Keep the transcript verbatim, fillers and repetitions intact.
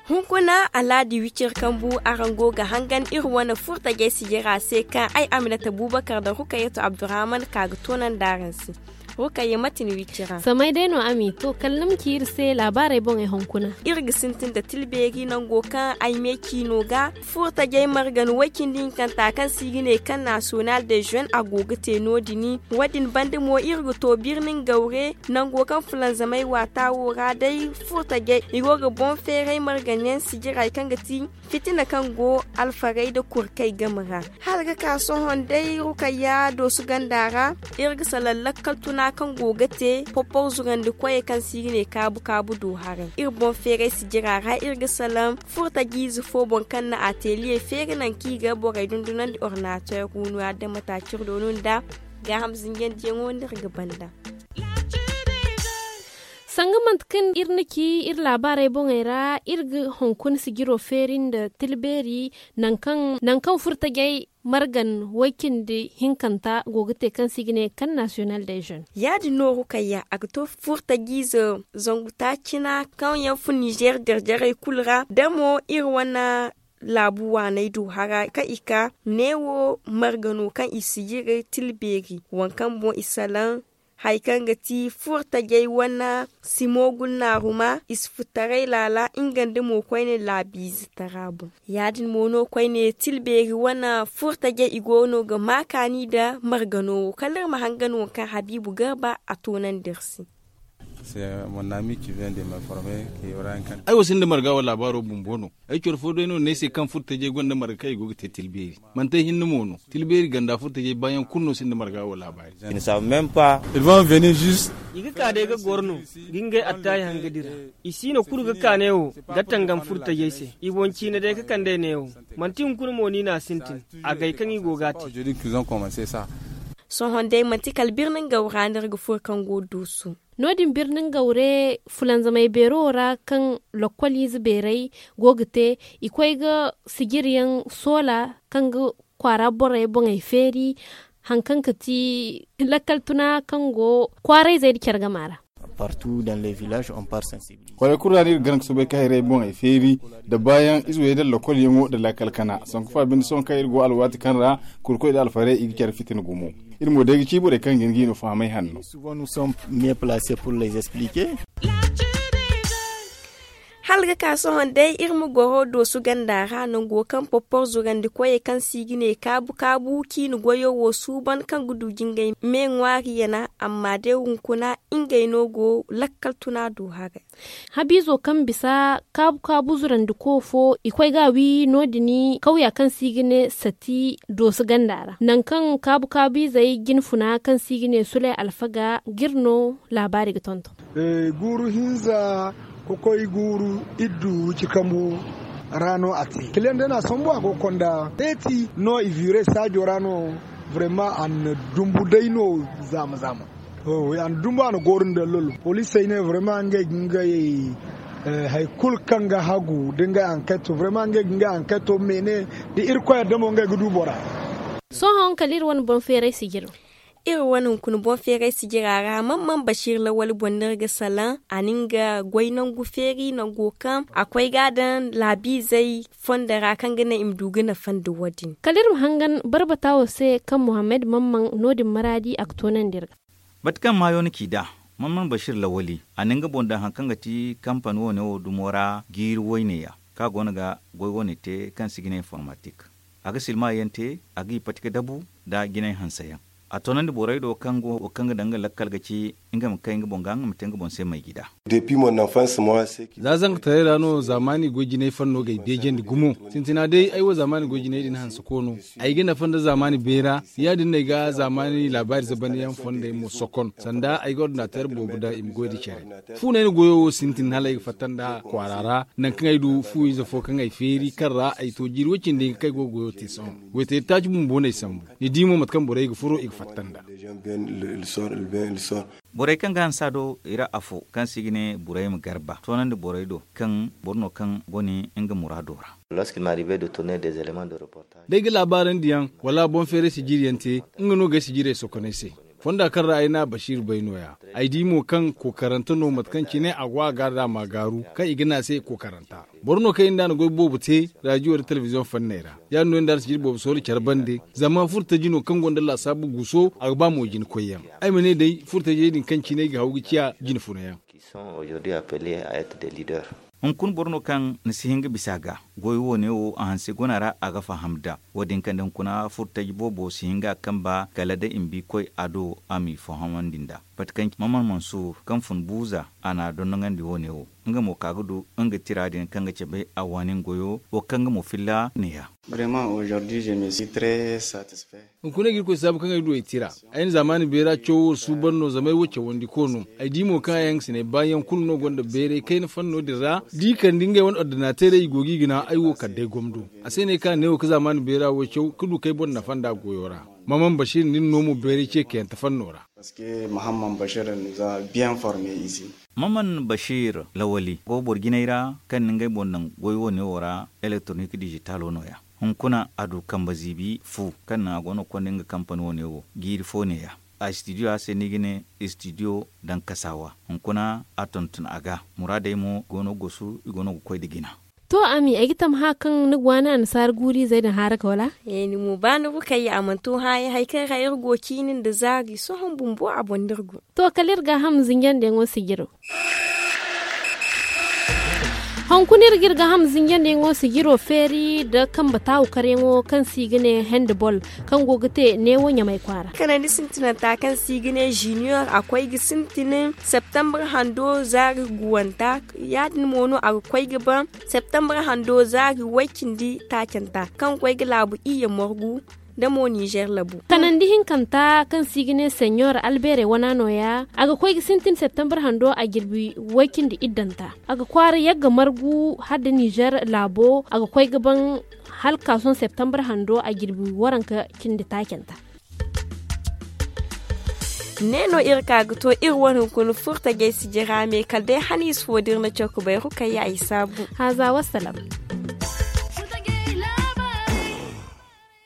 Hunkuna alaadi wicir kambu araŋ go ga hangan iri wane furtajey sijira se kaŋ ay aminata bubakar da rukayatu abdurrahman ka ga toonandi araŋ se. Rukayya mate ni wicira? Samay day no a m'i to kala ni ma ci iri se laabaarey boŋey hunkuna. Iri ga sintin da tilbeeri nango kaŋ ay me ciino ga furtajey margan way cindi hinkanta kaŋ se i ga ne kaŋ nasiyonal de jeune a go ga te no- din. Wo- din banda mo iri ga to birnin gawre nango kaŋ fulanzamey waata wo ra day furtajey i go ga boŋ feeray marganyaŋ sijirey kaŋ ga ti fitina kaŋ go alfarey nda kurkey game ra. Hala ga ka sohõ day rukayya doosu ganda ra iri ga salaŋ lakkal tuna kaŋ go ga te poppor zurandi koyey kaŋ se i ga ne kaabu kaabu do haray iri boŋ feeray sijira ra iri ga salaŋ furtajiize fo boŋ kaŋ na ateliye feeri nangu kaŋ i ga borey dundunandi ordinateer gunuwa da mataacir doonu nda gaaham zinjandiyaŋo no iri ga banda. Sanga manti kaŋ iri na ci iri laabaarey boŋey ra iri ga hunkuna sijiro feeri nda tilbeeri nangu kaŋ furtajey margan way cindi hinkanta go ga te kaŋ se i ga ne kaŋ nasiyonal de jeune. Ya- din no rukayya a ga to furtajiize zangu taacina kaŋ yaŋ fun nizeer jarjarey kulu ra da mo iri wane laabu waaney du hara kaŋ i ka neewo margano kaŋ i sijiri tilbeeri waŋ kaŋ boŋ i salaŋ hari kaŋ ga ti furtajey wane simo gulnaaruma i si furtaray laala nga nda mo koyne laabiize tara boŋ. Ya- din mo no koyne tilbeeri wane furtajey i go no ga ma kaani nda margano wo kala iri ma hangan waŋ kaŋ habiibu garba a toonandi iri se. Ay wo sinda marga wala laabaaro bumbo no. Ay coro fo day no ne ay se kaŋ furtajey gonda marga kaŋ i go ga te tilbeeri manti ay hinne mo no tilbeeri ganda furtajey baayaŋ kulu no sinda marga wala laabaari. I ga ka day ga goro no ga ngey attaayi hanga dira. I siino kulu ga ka neewo ga tangam furtajey se i boŋ ciine day ga kandey neewo. Manti hunkuna mo ni n'a sintin agay kaŋ i go ga a te. Sohõ day manti kala birni nga wura no iri ga furo kaŋ go dooso. No- din birni nga wure fulanzamey beero wo ra kaŋ lokkoliize beerey go ga te i koy ga sijiriyaŋ soola kaŋ ga kwaara borey boŋey feeri hari kaŋ ga ti lakkal tuna kaŋ go kwaarayzey nda care gama ra. Kwaarey kulu ra no iri ga gana ga soobay ka hayrey boŋey feeri nda baayaŋ ize wey nda lakkol yaŋo nda lakkal kana sanku fa binde sohõ kaŋ iri go alwaati kaŋ ra kurkoy nda alfarey i ga care fitina gumo. Iri mo day ga ci borey kaŋ ga hin ga i no fahamay hanno. Hala ga ka sohõ day iri ma goro doosu ganda ra nango kaŋ porpor zurandi koyey kaŋ se i ga ne kaabu kaabu ciine goyo wo suuban kaŋ ga du jingay me ŋwaari yana amma day hunkuna ngey no go lakkal tuna do haray. Habiizo kaŋ bisa kaabu kaabu zurandi ko fo i koy ga a wi no- din kawya kaŋ se i ga ne sati doosu ganda ra nangu kaŋ kaabu kaabu izey jinfuna kaŋ se i ga ne sulay alfaga ga iri no laabaari ga tonton. Guuru hinza ga koy guuru iddu cikambu ra no a te kiliyaŋ day no a sambu a go ga konda teeti no i viiray saajo ra no. Vrema a na dumbu day no zaama zaama. A na dumbu a na gooru nda lolo poliisey ne vrema ngey ga ngey hari kulu kaŋ ga hagu da ngey anketo vrema ngey ga ngey anketo meene da irkoy yadda mo ngey ga du bora. Sohõ kala iri wane boŋ feeray sijiro. Iri wane hunkuna boŋ feeray sijira ra man man basiir lawali boŋ no iri ga salaŋ a na nga goy nangu feeri nango kaŋ a koy ga a daŋ laabiizey fondo ra kaŋ ga naŋ i ma du ga nafa nda wo- din. Kala iri ma hangan barbata wo se kaŋ muhammad man man no- din maraadi a ga toonandi iri ga. Mate kaŋ maayo ni ci nd'a man man basiir lawali a na nga boŋ daŋ hari kaŋ ga ti kampani wane wo dumo ra jiiri woyne ya kaŋ a go no ga goy wane te kaŋ se i ga ne informatik. A ga silma yaŋ te a ga i pati ga dabu nda jinay hanse yaŋ. A toonandi borey do kaŋ go wo kaŋ ga daŋ nga lakkal ga ci nga ma kay nga boŋ ga nga ma te nga boŋ se may gida. Za zanka taray ra no zaamaani goy jinay fanno ga ay beejandi gumo. Sintina day ay wo zaamaani goy jinay din hanse koono ay ga nafa nda zaamaani beera. Ya- din no ay ga zaamaani laabaari zabandiyaŋ fondey mo sokon sanda ay ga ordinateer boobo daŋ i ma goy nda care. Fu no ay na goyo wo sintin hala ay ga fatta nda kwaara ra nangu kaŋ ay du fu ize fo kaŋ ay feeri kaŋ ra ay to jiiri way- cindi hinka kaŋ ay go ga goyo te sohõ. Goyteeri taaci bumbo no ay sambu. Ni di mo mate kaŋ borey ga furo i ga fatta nda. Borey kaŋ ga hanse a do i ra afo kaŋ se i ga ne burayma garba toonandi borey do kaŋ boro no kaŋ gone nga muraado ra. Day ga laabaarandi yaŋ wala boŋ feeray sijiri yaŋ te, nga no ga ay sijirey sokonay se. Fonda kaŋ ra ay na basiir bay no- ya. Ay di mo kaŋ kookarante no mate kaŋ cine a go a ga a daama gaaru kaŋ i ga ne a se kookaranta. Boro no kaŋ i nda a na goy boobo te raajiyo nda telebiziyoŋ fanney ra. Ya- din no i nda a na sijiri boobo sohõ care bande. Zama furtaji no kaŋ gonda laasaabu guso a ga ba mo jina koyyaŋ. Ay ma ne day furtajey din kaŋ cine ay ga haw ga ciya jina funayaŋ. Hunkuna boro no kaŋ ni si hin ga bisa a ga goyo wo- ne wo a hanse guna ra a ga faham nd'a. Wo- din kande hunkuna furtaji boobo si hin ga a kamba kala da i ma bi koy a do a m'i fahamandi nd'a. Mate kaŋ ci maman mansuur kaŋ fun buuza a n'a dondonandi wo- ne wo, nga mo ka ga du nga tira din kaŋ ga cabe a waani nga goyo wo kaŋ nga mo filla ne- ya. Hunkuna ay ga irkoy saabu kaŋ ay du ay tira. Ay na zaamaani beera cawo wo suuban no zama ay wo cawandiko no. Ay di mo kaŋ ay hangasiney baayaŋ kulu no gonda bayray kayna fanno din ra da i kande ngey wane ordinateerey i go ga i gana ay wo kala day gomdo. A se no ay ka neewo ga zaamaani beera wo caw ka du k'ay boŋ nafa nd'a goyo ra. Maman basiir nin no mo bayray ce kayante fanno ra. Maman basiir lawali go boro jinay ra kaŋ na ngey boŋ daŋ goy wo- ne wo ra elektronik dijitalo no- ya. Hunkuna a du kambe ziibi fu kaŋ naŋ a go no ga konda nga kampani wo- ne wo jiiri fo ne- ya. A istidiyo a se no i ga ne istidiyo daŋ kasawa. Hunkuna a tonton a ga muraadey mo go no ga gosu i go no ga koy nda jina. To ami ay ga tammaha kaŋ ni ga waani annasaara guuriizey din haara ga wala? Ni mo ba ni ga kayya a mana to haayaŋ hari kaŋ ra iri go ciini nda zaari sohõ bumbo a boŋ no iri go. To kala iri gaaham zinjandiyaŋo sijiro. Hunkuna iri ga iri gaaham zinjandiyaŋo sijiro feeri nda kambe taawu karyaŋo kaŋ se i ga ne handball kaŋ go ga te neewo ɲamay kwaara. Kanandi sintinanta kaŋ se i ga ne junior a koy ga sintin septembre hando zaari guwanta. Ya- din mo no a ga koy ga ban septembre hando zaari way cindi taacanta kaŋ ga koy ga laabu iyye morgu nda mo nizer labu. Kanandi hinkanta kaŋ se i ga ne seɲor albeere wana no- ya a ga koy ga sintin septembre hando a jirbi way cindi iddanta. A ga kwaara yagga margu hala nda nizer laabo a ga koy ga ban hala ka sohõ septembre hando a jirbi waranka cindi taacanta. Ne no iri ka ga to iri wane hunkuna furtajey sijira me kala day haniisa fo da iri na caw ga bayru kayya ay saabu. Haaza wassalam.